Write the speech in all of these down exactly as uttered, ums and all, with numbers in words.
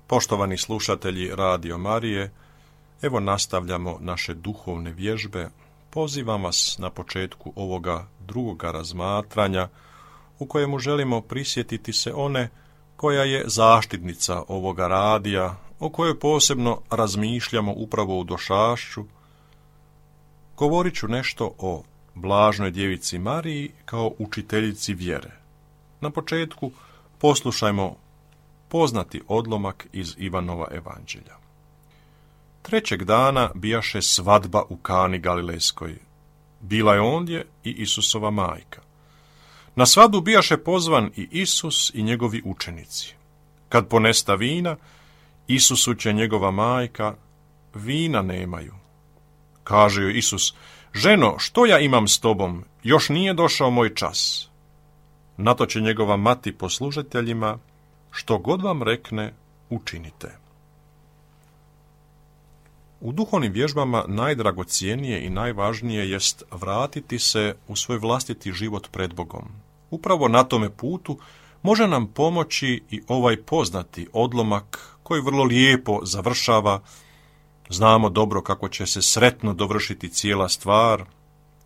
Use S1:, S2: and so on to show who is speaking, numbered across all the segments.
S1: Poštovani slušatelji Radio Marije, evo nastavljamo naše duhovne vježbe. Pozivam vas na početku ovoga drugoga razmatranja u kojemu želimo prisjetiti se one koja je zaštitnica ovoga radija, o kojoj posebno razmišljamo upravo u došašću. Govorit ću nešto o Blažnoj djevici Mariji kao učiteljici vjere. Na početku poslušajmo poznati odlomak iz Ivanova evanđelja. Trećeg dana bijaše svadba u Kani Galilejskoj. Bila je ondje i Isusova majka. Na svadbu bijaše pozvan i Isus i njegovi učenici. Kad ponesta vina, Isusu će njegova majka, vina nemaju. Kaže joj Isus, ženo, što ja imam s tobom, još nije došao moj čas. Na to će njegova mati poslužiteljima, što god vam rekne, učinite. U duhovnim vježbama najdragocjenije i najvažnije jest vratiti se u svoj vlastiti život pred Bogom. Upravo na tome putu može nam pomoći i ovaj poznati odlomak koji vrlo lijepo završava. Znamo dobro kako će se sretno dovršiti cijela stvar.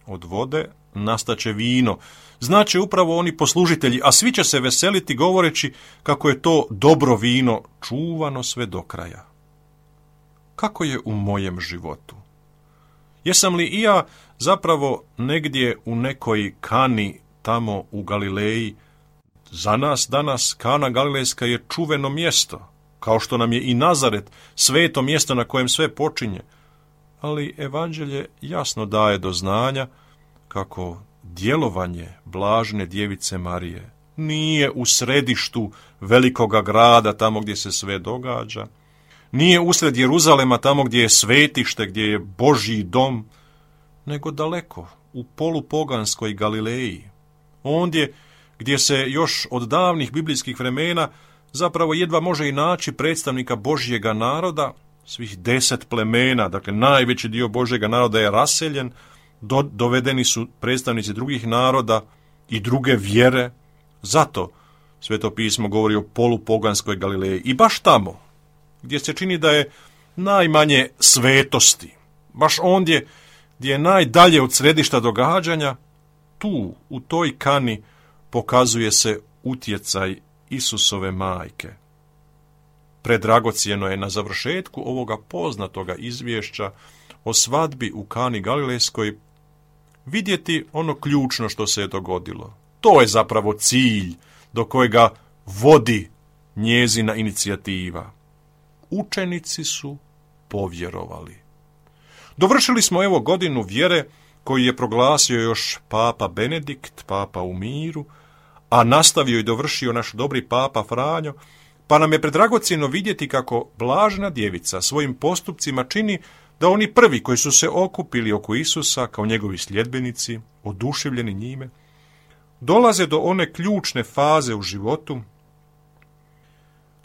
S1: Od vode nastaće vino. Znače upravo oni poslužitelji, a svi će se veseliti govoreći kako je to dobro vino čuvano sve do kraja. Kako je u mojem životu? Jesam li i ja zapravo negdje u nekoj Kani tamo u Galileji? Za nas danas Kana Galilejska je čuveno mjesto, kao što nam je i Nazaret sveto mjesto na kojem sve počinje. Ali evanđelje jasno daje do znanja kako djelovanje Blažene djevice Marije nije u središtu velikoga grada, tamo gdje se sve događa, nije usred Jeruzalema, tamo gdje je svetište, gdje je Božji dom, nego daleko, u polupoganskoj Galileji, ondje gdje se još od davnih biblijskih vremena zapravo jedva može i naći predstavnika Božjega naroda, svih deset plemena, dakle najveći dio Božjega naroda je raseljen, do, dovedeni su predstavnici drugih naroda i druge vjere. Zato Sveto pismo govori o polupoganskoj Galileji. I baš tamo, gdje se čini da je najmanje svetosti, baš ondje gdje je najdalje od središta događanja, tu, u toj Kani, pokazuje se utjecaj Isusove majke. Predragocjeno je na završetku ovoga poznatoga izvješća o svadbi u Kani Galilejskoj vidjeti ono ključno što se je dogodilo. To je zapravo cilj do kojega vodi njezina inicijativa. Učenici su povjerovali. Dovršili smo evo godinu vjere koju je proglasio još papa Benedikt, papa u miru, a nastavio i dovršio naš dobri papa Franjo, pa nam je predragocjeno vidjeti kako Blažena djevica svojim postupcima čini da oni prvi koji su se okupili oko Isusa kao njegovi sljedbenici, oduševljeni njime, dolaze do one ključne faze u životu,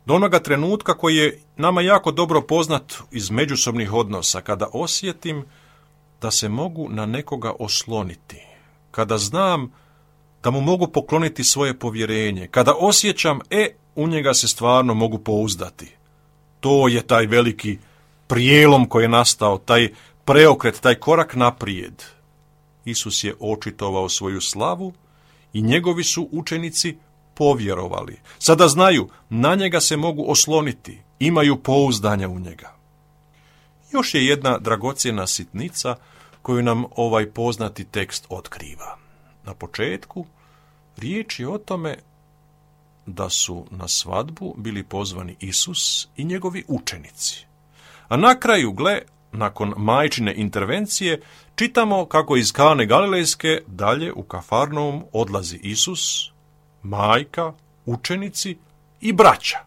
S1: do onoga trenutka koji je nama jako dobro poznat iz međusobnih odnosa, kada osjetim da se mogu na nekoga osloniti, kada znam da mu mogu pokloniti svoje povjerenje, kada osjećam, e, u njega se stvarno mogu pouzdati. To je taj veliki prijelom koji je nastao, taj preokret, taj korak naprijed. Isus je očitovao svoju slavu i njegovi su učenici povjerovali. Sada znaju, na njega se mogu osloniti, imaju pouzdanja u njega. Još je jedna dragocjena sitnica koju nam ovaj poznati tekst otkriva. Na početku riječ je o tome da su na svadbu bili pozvani Isus i njegovi učenici. A na kraju, gle, nakon majčine intervencije, čitamo kako iz Kane Galilejske dalje u Kafarnaum odlazi Isus, majka, učenici i braća.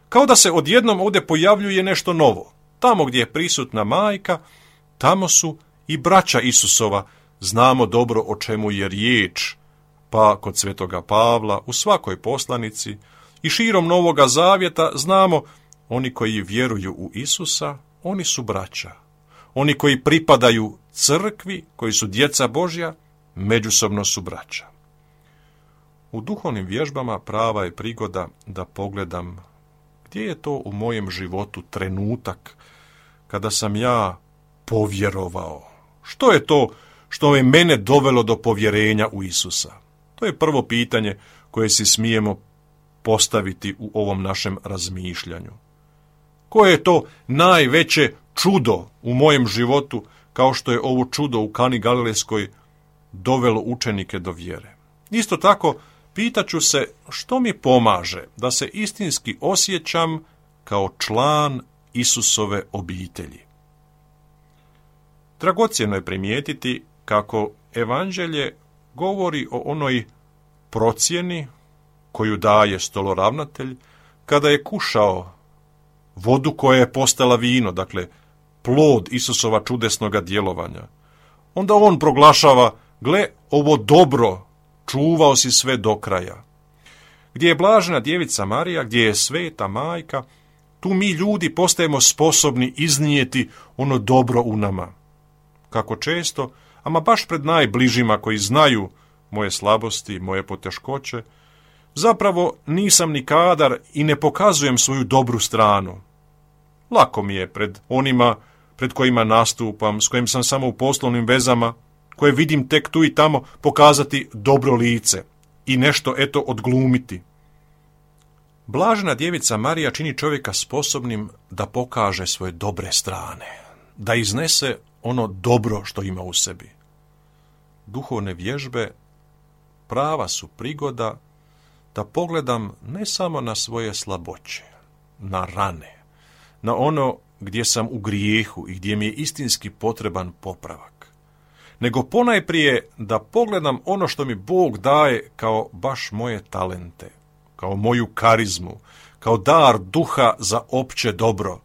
S1: Kao da se odjednom ovdje pojavljuje nešto novo. Tamo gdje je prisutna majka, tamo su i braća Isusova. Znamo dobro o čemu je riječ, pa kod Svetoga Pavla, u svakoj poslanici i širom Novoga Zavjeta znamo, oni koji vjeruju u Isusa, oni su braća. Oni koji pripadaju crkvi, koji su djeca Božja, međusobno su braća. U duhovnim vježbama prava je prigoda da pogledam Gdje je to u mojem životu trenutak kada sam ja povjerovao? Što je to što je mene dovelo do povjerenja u Isusa? To je prvo pitanje koje si smijemo postaviti u ovom našem razmišljanju. Koje je to najveće čudo u mojem životu, kao što je ovo čudo u Kani Galilejskoj dovelo učenike do vjere? Isto tako, pitaću se što mi pomaže da se istinski osjećam kao član Isusove obitelji. Dragocjeno je primijetiti kako evanđelje govori o onoj procjeni koju daje stoloravnatelj kada je kušao vodu koja je postala vino, dakle plod Isusova čudesnoga djelovanja. Onda on proglašava, gle, ovo dobro, čuvao si sve do kraja. Gdje je blažena djevica Marija, gdje je sveta majka, tu mi ljudi postajemo sposobni iznijeti ono dobro u nama. Kako često, ama baš pred najbližima koji znaju moje slabosti, moje poteškoće, zapravo nisam ni kadar i ne pokazujem svoju dobru stranu. Lako mi je pred onima pred kojima nastupam, s kojim sam samo u poslovnim vezama, koje vidim tek tu i tamo, pokazati dobro lice i nešto eto odglumiti. Blažena djevica Marija čini čovjeka sposobnim da pokaže svoje dobre strane, da iznese ono dobro što ima u sebi. Duhovne vježbe prava su prigoda da pogledam ne samo na svoje slaboće, na rane, na ono gdje sam u grijehu i gdje mi je istinski potreban popravak, nego ponajprije da pogledam ono što mi Bog daje kao baš moje talente, kao moju karizmu, kao dar duha za opće dobro.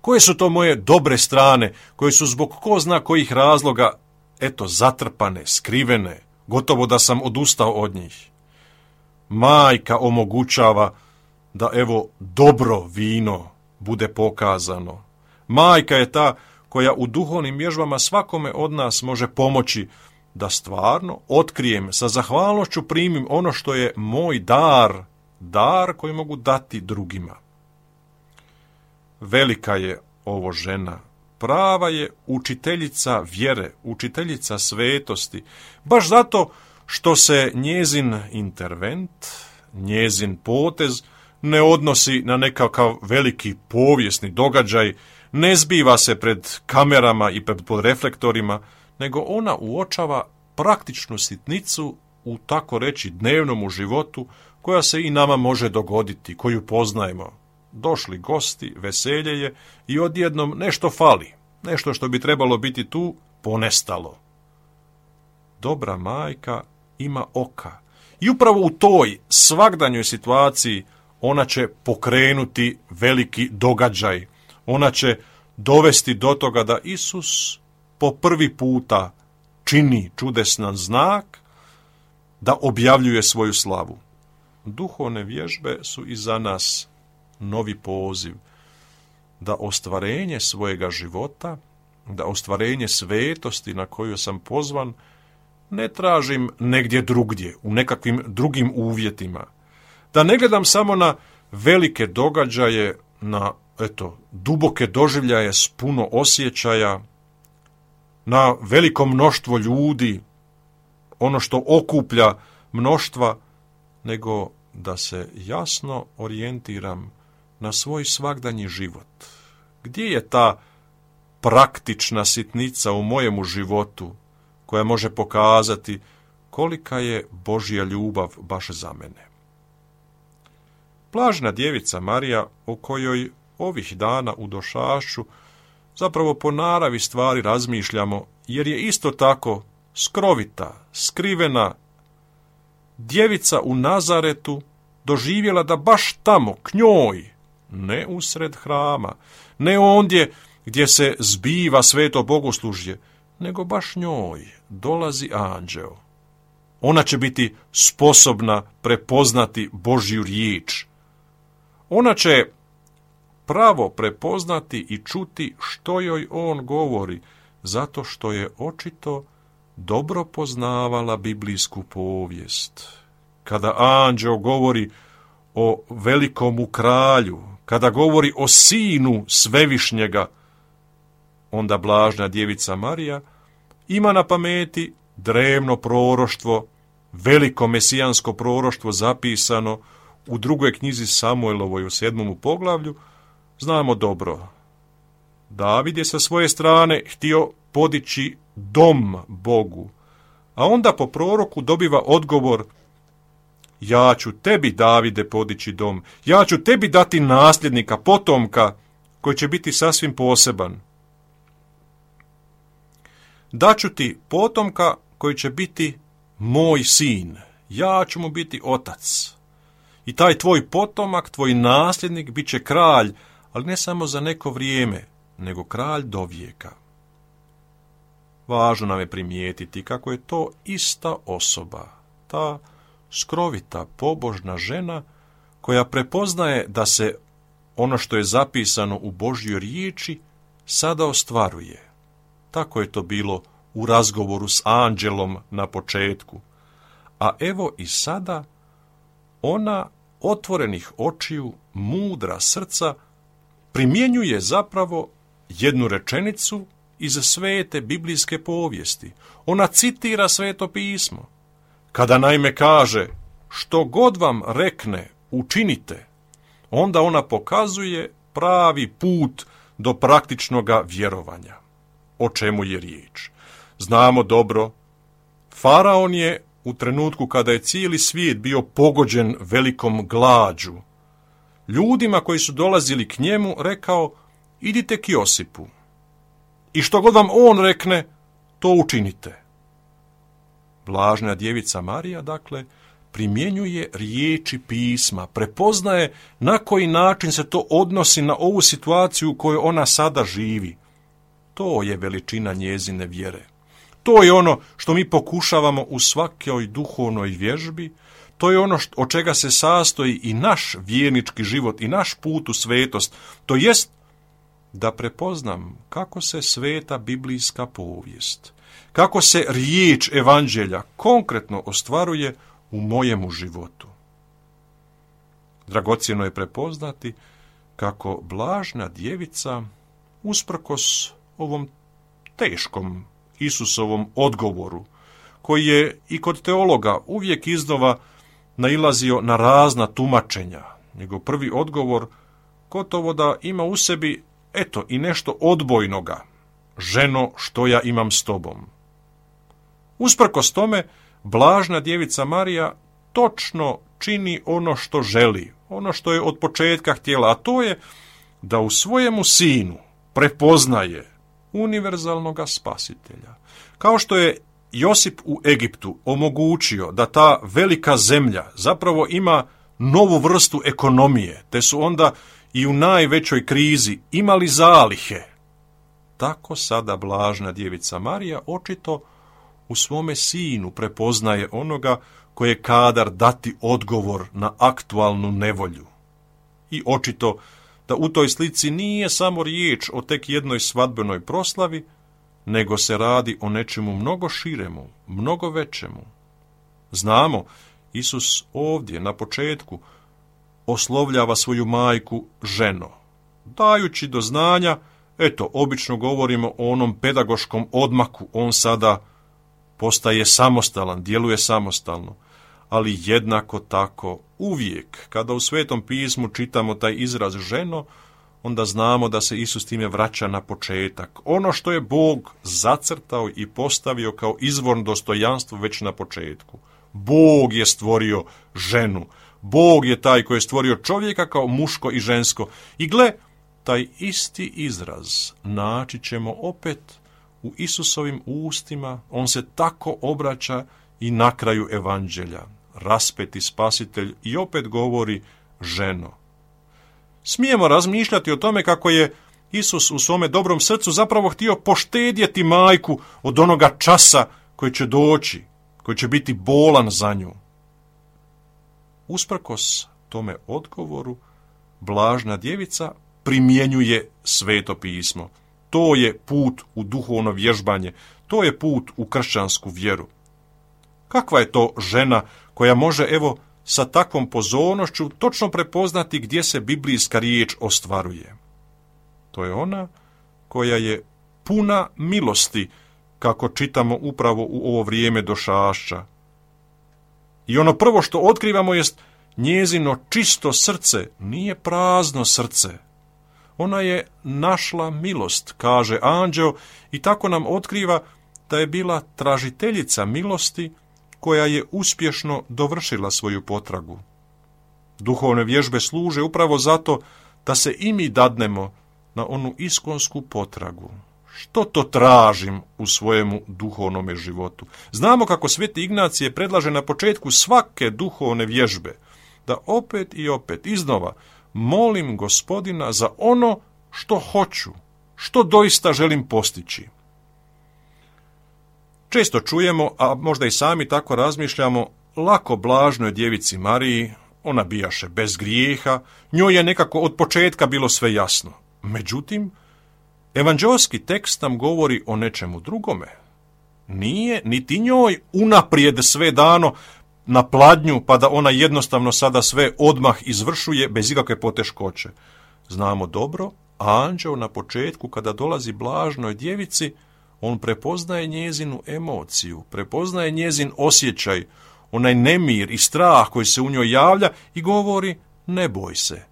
S1: Koje su to moje dobre strane, koje su zbog ko zna kojih razloga, eto, zatrpane, skrivene, gotovo da sam odustao od njih. Majka omogućava da evo dobro vino bude pokazano. Majka je ta koja u duhovnim vježbama svakome od nas može pomoći da stvarno otkrijem, sa zahvalnošću primim ono što je moj dar, dar koji mogu dati drugima. Velika je ovo žena, prava je učiteljica vjere, učiteljica svetosti, baš zato što se njezin intervent, njezin potez ne odnosi na nekakav veliki povijesni događaj, ne zbiva se pred kamerama i pred reflektorima, nego ona uočava praktičnu sitnicu u tako reći dnevnom životu koja se i nama može dogoditi, koju poznajemo. Došli gosti, veselje je i odjednom nešto fali, nešto što bi trebalo biti tu ponestalo. Dobra majka ima oka i upravo u toj svagdanjoj situaciji ona će pokrenuti veliki događaj. Ona će dovesti do toga da Isus po prvi puta čini čudesan znak, da objavljuje svoju slavu. Duhovne vježbe su i za nas novi poziv da ostvarenje svojega života, da ostvarenje svetosti na koju sam pozvan, ne tražim negdje drugdje, u nekakvim drugim uvjetima. Da ne gledam samo na velike događaje, na eto, duboke doživljaje s puno osjećaja, na veliko mnoštvo ljudi, ono što okuplja mnoštva, nego da se jasno orijentiram na svoj svagdanji život. Gdje je ta praktična sitnica u mojemu životu koja može pokazati kolika je Božja ljubav baš za mene? Blažena djevica Marija, o kojoj ovih dana u Došašću zapravo po naravi stvari razmišljamo, jer je isto tako skrovita, skrivena djevica u Nazaretu doživjela da baš tamo, k njoj, ne usred hrama, ne ondje gdje se zbiva sveto bogoslužje, nego baš njoj dolazi anđeo. Ona će biti sposobna prepoznati Božju riječ. Ona će pravo prepoznati i čuti što joj on govori, zato što je očito dobro poznavala biblijsku povijest. Kada anđeo govori o velikomu kralju, kada govori o sinu svevišnjega, onda blažna djevica Marija ima na pameti drevno proroštvo, veliko mesijansko proroštvo zapisano u drugoj knjizi Samuelovoj u sedmom poglavlju. Znamo dobro, David je sa svoje strane htio podići dom Bogu, a onda po proroku dobiva odgovor: ja ću tebi, Davide, podići dom, ja ću tebi dati nasljednika, potomka, koji će biti sasvim poseban. Daću ti potomka koji će biti moj sin, ja ću mu biti otac. I taj tvoj potomak, tvoj nasljednik, bit će kralj, ali ne samo za neko vrijeme, nego kralj do vijeka. Važno nam je primijetiti kako je to ista osoba, ta skrovita, pobožna žena koja prepoznaje da se ono što je zapisano u Božjoj riječi sada ostvaruje. Tako je to bilo u razgovoru s anđelom na početku. A evo i sada ona otvorenih očiju, mudra srca, primjenjuje zapravo jednu rečenicu iz svete biblijske povijesti. Ona citira Sveto pismo. Kada naime kaže: što god vam rekne, učinite, onda ona pokazuje pravi put do praktičnoga vjerovanja. O čemu je riječ? Znamo dobro, Faraon je u trenutku kada je cijeli svijet bio pogođen velikom glađu, ljudima koji su dolazili k njemu rekao: idite k Josipu i što god vam on rekne, to učinite. Blažna djevica Marija, dakle, primjenjuje riječi pisma, prepoznaje na koji način se to odnosi na ovu situaciju u kojoj ona sada živi. To je veličina njezine vjere. To je ono što mi pokušavamo u svakoj duhovnoj vježbi, to je ono od čega se sastoji i naš vjernički život i naš put u svetost, to jest da prepoznam kako se sveta biblijska povijest, kako se riječ evanđelja konkretno ostvaruje u mojemu životu. Dragocjeno je prepoznati kako blažna djevica, usprkos ovom teškom Isusovom odgovoru, koji je i kod teologa uvijek iznova nailazio na razna tumačenja, njegov prvi odgovor gotovo da ima u sebi, eto, i nešto odbojnoga: ženo, što ja imam s tobom. Usprkos tome, blažna djevica Marija točno čini ono što želi, ono što je od početka htjela, a to je da u svojemu sinu prepoznaje univerzalnoga spasitelja. Kao što je Josip u Egiptu omogućio da ta velika zemlja zapravo ima novu vrstu ekonomije, te su onda i u najvećoj krizi imali zalihe, tako sada blažna djevica Marija očito u svome sinu prepoznaje onoga koji je kadar dati odgovor na aktualnu nevolju. I očito da u toj slici nije samo riječ o tek jednoj svadbenoj proslavi, nego se radi o nečemu mnogo širemu, mnogo većemu. Znamo, Isus ovdje na početku oslovljava svoju majku ženo, dajući do znanja, eto, obično govorimo o onom pedagoškom odmaku, on sada postaje samostalan, djeluje samostalno, ali jednako tako uvijek kada u Svetom pismu čitamo taj izraz ženo, onda znamo da se Isus time vraća na početak. Ono što je Bog zacrtao i postavio kao izvorno dostojanstvo već na početku. Bog je stvorio ženu. Bog je taj koji je stvorio čovjeka kao muško i žensko. I gle, taj isti izraz naći ćemo opet u Isusovim ustima. On se tako obraća i na kraju evanđelja. Raspeti spasitelj i opet govori ženo. Smijemo razmišljati o tome kako je Isus u svome dobrom srcu zapravo htio poštedjeti majku od onoga časa koji će doći, koji će biti bolan za nju. Usprkos tome odgovoru, blažna djevica primjenjuje Sveto pismo. To je put u duhovno vježbanje, to je put u kršćansku vjeru. Kakva je to žena koja može, evo, sa takvom pozornošću točno prepoznati gdje se biblijska riječ ostvaruje. To je ona koja je puna milosti, kako čitamo upravo u ovo vrijeme došašća. I ono prvo što otkrivamo jest njezino čisto srce, nije prazno srce. Ona je našla milost, kaže anđeo, i tako nam otkriva da je bila tražiteljica milosti koja je uspješno dovršila svoju potragu. Duhovne vježbe služe upravo zato da se i mi dadnemo na onu iskonsku potragu. Što to tražim u svojemu duhovnome životu? Znamo kako Sveti Ignacije predlaže na početku svake duhovne vježbe da opet i opet iznova molim Gospodina za ono što hoću, što doista želim postići. Često čujemo, a možda i sami tako razmišljamo, lako blažnoj djevici Mariji, ona bijaše bez grijeha, njoj je nekako od početka bilo sve jasno. Međutim, evanđeoski tekst nam govori o nečemu drugome. Nije niti njoj unaprijed sve dano na pladnju, pa da ona jednostavno sada sve odmah izvršuje bez ikakve poteškoće. Znamo dobro, anđeo na početku kada dolazi blažnoj djevici, on prepoznaje njezinu emociju, prepoznaje njezin osjećaj, onaj nemir i strah koji se u njoj javlja i govori ne boj se.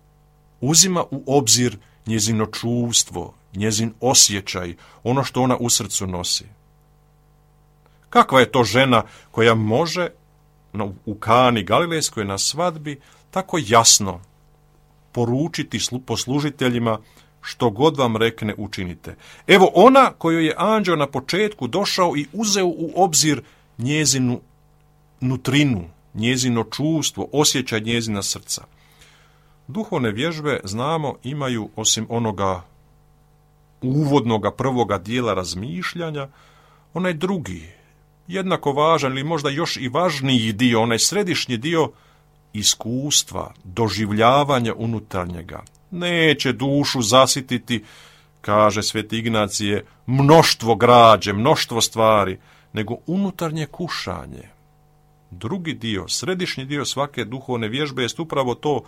S1: Uzima u obzir njezino čuvstvo, njezin osjećaj, ono što ona u srcu nosi. Kakva je to žena koja može u Kani Galilejskoj na svadbi tako jasno poručiti poslužiteljima što god vam rekne učinite. Evo ona kojoj je anđeo na početku došao i uzeo u obzir njezinu nutrinu, njezino čuvstvo, osjećaj njezina srca. Duhovne vježbe, znamo, imaju osim onoga uvodnoga prvoga dijela razmišljanja, onaj drugi, jednako važan ili možda još i važniji dio, onaj središnji dio iskustva, doživljavanja unutarnjega. Neće dušu zasititi, kaže Sveti Ignacije, mnoštvo građe, mnoštvo stvari, nego unutarnje kušanje. Drugi dio, središnji dio svake duhovne vježbe jest upravo to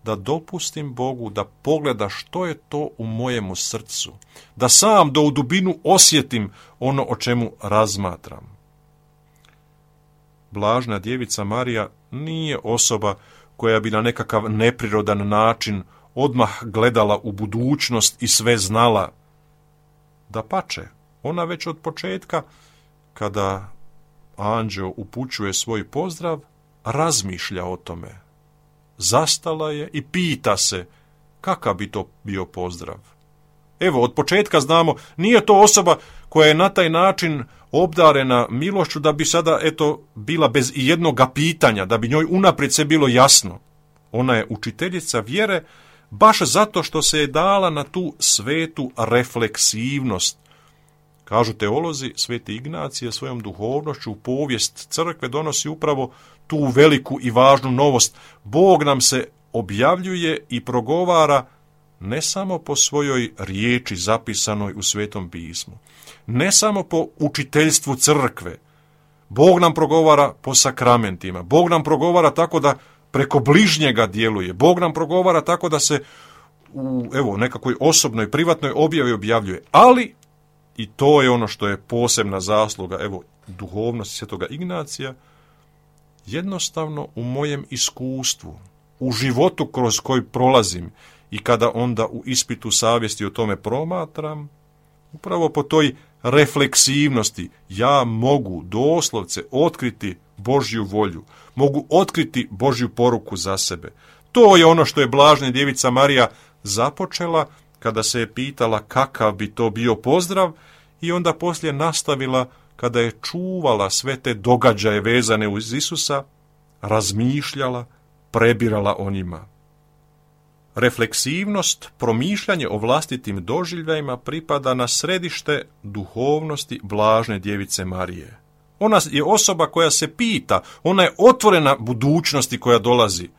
S1: da dopustim Bogu da pogleda što je to u mojemu srcu, da sam do u dubinu osjetim ono o čemu razmatram. Blažna djevica Marija nije osoba koja bi na nekakav neprirodan način odmah gledala u budućnost i sve znala. Dapače, ona već od početka, kada anđeo upućuje svoj pozdrav, razmišlja o tome. Zastala je i pita se kakav bi to bio pozdrav. Evo, od početka znamo, nije to osoba koja je na taj način obdarena milošću da bi sada, eto, bila bez i jednoga pitanja, da bi njoj unaprijed sve bilo jasno. Ona je učiteljica vjere baš zato što se je dala na tu svetu refleksivnost. Kažu teolozi, Sveti Ignacije svojom duhovnošću u povijest crkve donosi upravo tu veliku i važnu novost. Bog nam se objavljuje i progovara ne samo po svojoj riječi zapisanoj u Svetom pismu, ne samo po učiteljstvu crkve. Bog nam progovara po sakramentima. Bog nam progovara tako da preko bližnjega djeluje. Bog nam progovara tako da se u evo, nekakvoj osobnoj, privatnoj objavi objavljuje. Ali, i to je ono što je posebna zasluga evo, duhovnosti Svetoga Ignacija, jednostavno u mojem iskustvu, u životu kroz koji prolazim i kada onda u ispitu savjesti o tome promatram, upravo po toj refleksivnosti ja mogu doslovce otkriti Božju volju, mogu otkriti Božju poruku za sebe. To je ono što je blažna djevica Marija započela kada se je pitala kakav bi to bio pozdrav i onda poslije nastavila kada je čuvala sve te događaje vezane uz Isusa, razmišljala, prebirala o njima. Refleksivnost, promišljanje o vlastitim doživljajima pripada na središte duhovnosti blažne djevice Marije. Ona je osoba koja se pita, ona je otvorena budućnosti koja dolazi.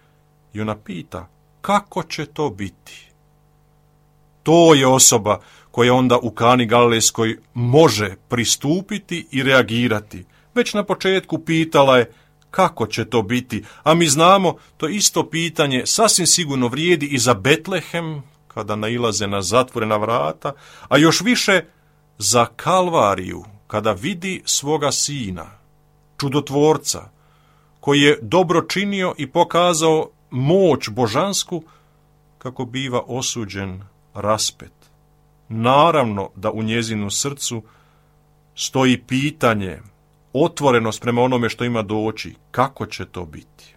S1: I ona pita, kako će to biti? To je osoba koja onda u Kani Galilejskoj može pristupiti i reagirati. Već na početku pitala je, kako će to biti? A mi znamo, to isto pitanje sasvim sigurno vrijedi i za Betlehem, kada nailaze na zatvorena vrata, a još više za Kalvariju, kada vidi svoga sina, čudotvorca, koji je dobro činio i pokazao moć božansku, kako biva osuđen, raspet. Naravno da u njezinu srcu stoji pitanje, otvorenost prema onome što ima doći, kako će to biti.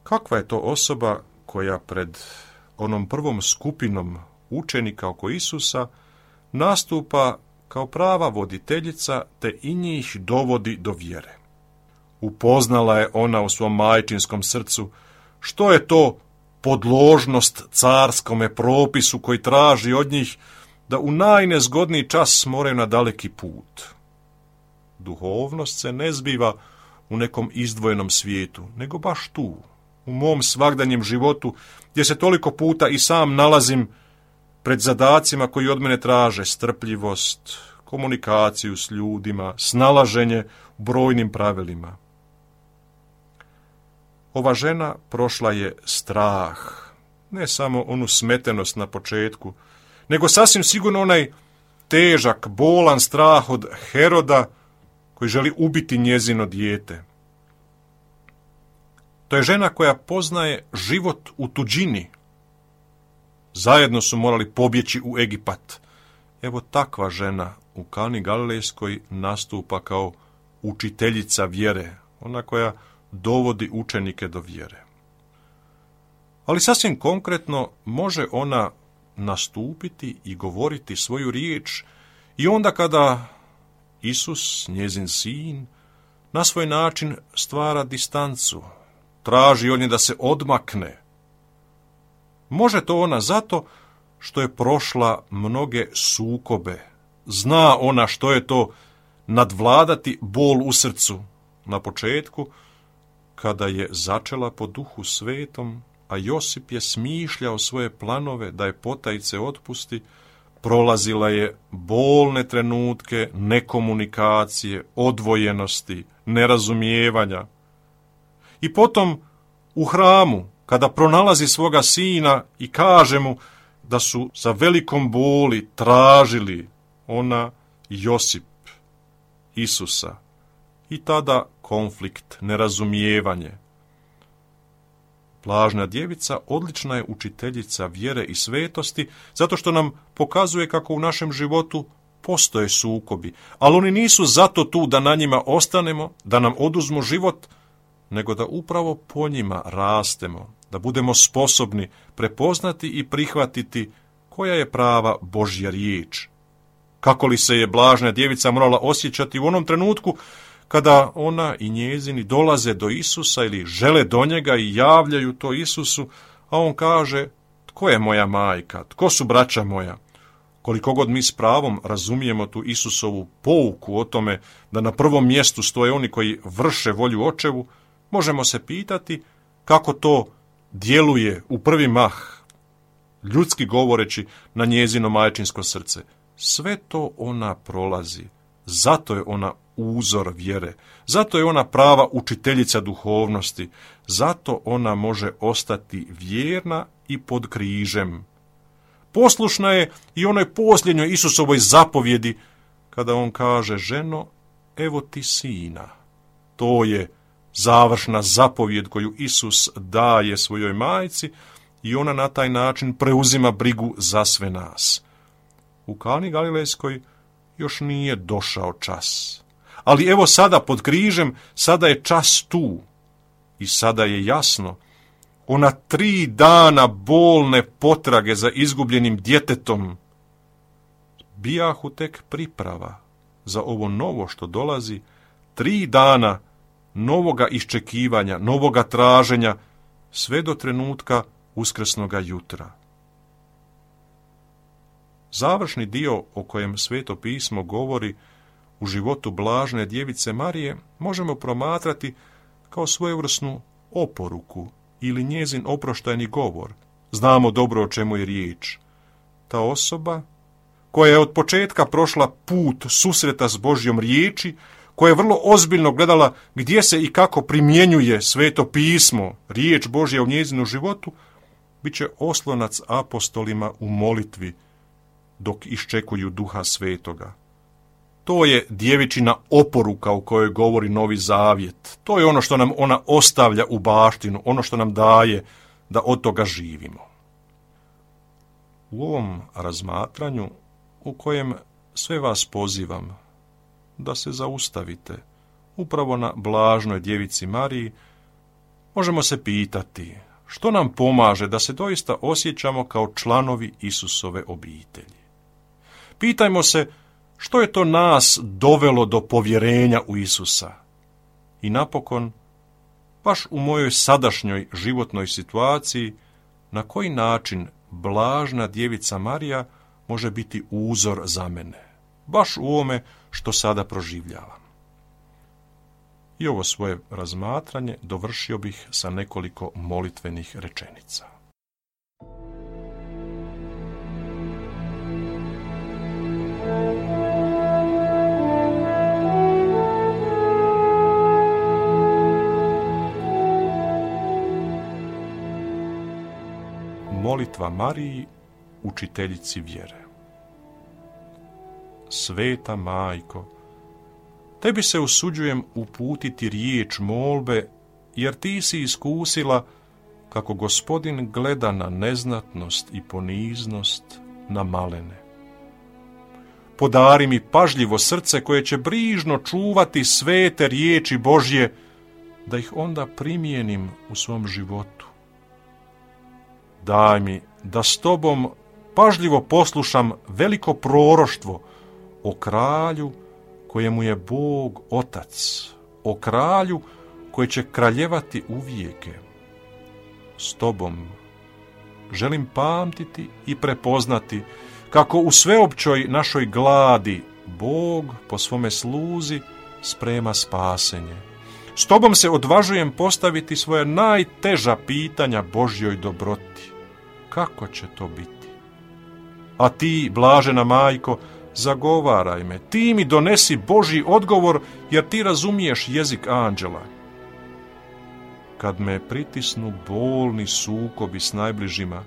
S1: Kakva je to osoba koja pred onom prvom skupinom učenika oko Isusa nastupa kao prava voditeljica te i njih dovodi do vjere? Upoznala je ona u svom majčinskom srcu što je to podložnost carskome propisu koji traži od njih da u najnezgodniji čas moraju na daleki put. Duhovnost se ne zbiva u nekom izdvojenom svijetu, nego baš tu, u mom svagdanjem životu, gdje se toliko puta i sam nalazim pred zadacima koji od mene traže strpljivost, komunikaciju s ljudima, snalaženje u brojnim pravilima. Ova žena prošla je strah, ne samo onu smetenost na početku, nego sasvim sigurno onaj težak, bolan strah od Heroda koji želi ubiti njezino dijete. To je žena koja poznaje život u tuđini. Zajedno su morali pobjeći u Egipat. Evo takva žena u Kani Galilejskoj nastupa kao učiteljica vjere, ona koja dovodi učenike do vjere. Ali sasvim konkretno može ona nastupiti i govoriti svoju riječ i onda kada Isus, njezin sin, na svoj način stvara distancu, traži od nje da se odmakne. Može to ona zato što je prošla mnoge sukobe. Zna ona što je to nadvladati bol u srcu na početku, kada je začela po Duhu Svetom, a Josip je smišljao svoje planove da je potajice otpusti, prolazila je bolne trenutke nekomunikacije, odvojenosti, nerazumijevanja. I potom u hramu, kada pronalazi svoga sina i kaže mu da su sa velikom boli tražili ona i Josip Isusa, i tada konflikt, nerazumijevanje. Blažna djevica odlična je učiteljica vjere i svetosti, zato što nam pokazuje kako u našem životu postoje sukobi, ali oni nisu zato tu da na njima ostanemo, da nam oduzmu život, nego da upravo po njima rastemo, da budemo sposobni prepoznati i prihvatiti koja je prava Božja riječ. Kako li se je blažna djevica morala osjećati u onom trenutku kada ona i njezini dolaze do Isusa ili žele do njega i javljaju to Isusu, a on kaže, tko je moja majka, tko su braća moja? Koliko god mi s pravom razumijemo tu Isusovu pouku o tome da na prvom mjestu stoje oni koji vrše volju očevu, možemo se pitati kako to djeluje u prvi mah, ljudski govoreći, na njezino majčinsko srce. Sve to ona prolazi, zato je ona uzor vjere, zato je ona prava učiteljica duhovnosti, zato ona može ostati vjerna i pod križem. Poslušna je i onoj posljednjoj Isusovoj zapovjedi, kada on kaže, ženo, evo ti sina. To je završna zapovjed koju Isus daje svojoj majci i ona na taj način preuzima brigu za sve nas. U Kani Galilejskoj još nije došao čas. Ali evo sada pod križem, sada je čas tu. I sada je jasno, ona tri dana bolne potrage za izgubljenim djetetom bijahu tek priprava za ovo novo što dolazi, tri dana novoga iščekivanja, novoga traženja, sve do trenutka uskrsnoga jutra. Završni dio o kojem Sveto pismo govori u životu blažne djevice Marije možemo promatrati kao svojevrsnu oporuku ili njezin oproštajni govor. Znamo dobro o čemu je riječ. Ta osoba koja je od početka prošla put susreta s Božjom riječi, koja je vrlo ozbiljno gledala gdje se i kako primjenjuje Sveto pismo, riječ Božja u njezinu životu, bit će oslonac apostolima u molitvi dok iščekuju Duha Svetoga. To je djevičina oporuka u kojoj govori Novi Zavjet. To je ono što nam ona ostavlja u baštinu, ono što nam daje da od toga živimo. U ovom razmatranju u kojem sve vas pozivam da se zaustavite upravo na blažnoj djevici Mariji, možemo se pitati što nam pomaže da se doista osjećamo kao članovi Isusove obitelji. Pitajmo se što je to nas dovelo do povjerenja u Isusa. I napokon, baš u mojoj sadašnjoj životnoj situaciji, na koji način blažna djevica Marija može biti uzor za mene, baš u ovome što sada proživljavam. I ovo svoje razmatranje dovršio bih sa nekoliko molitvenih rečenica. Molitva Mariji, učiteljici vjere. Sveta Majko, tebi se usuđujem uputiti riječ molbe, jer ti si iskusila kako Gospodin gleda na neznatnost i poniznost, na malene. Podari mi pažljivo srce koje će brižno čuvati svete riječi Božje, da ih onda primijenim u svom životu. Daj mi da s tobom pažljivo poslušam veliko proroštvo o kralju kojemu je Bog Otac, o kralju koji će kraljevati uvijeke. S tobom želim pamtiti i prepoznati kako u sveopćoj našoj gladi Bog po svome sluzi sprema spasenje. S tobom se odvažujem postaviti svoje najteža pitanja Božjoj dobroti. Kako će to biti? A ti, blažena Majko, zagovaraj me, ti mi donesi Božji odgovor, jer ti razumiješ jezik anđela. Kad me pritisnu bolni sukobi s najbližima,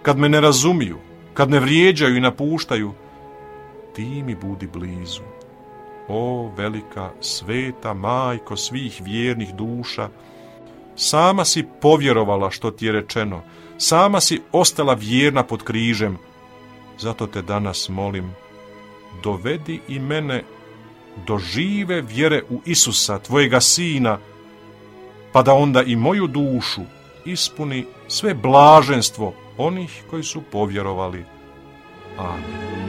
S1: kad me ne razumiju, kad me vrijeđaju i napuštaju, ti mi budi blizu. O velika, sveta Majko svih vjernih duša, sama si povjerovala što ti je rečeno, sama si ostala vjerna pod križem, zato te danas molim, dovedi i mene do žive vjere u Isusa, tvojega Sina, pa da onda i moju dušu ispuni sve blaženstvo onih koji su povjerovali. Amen.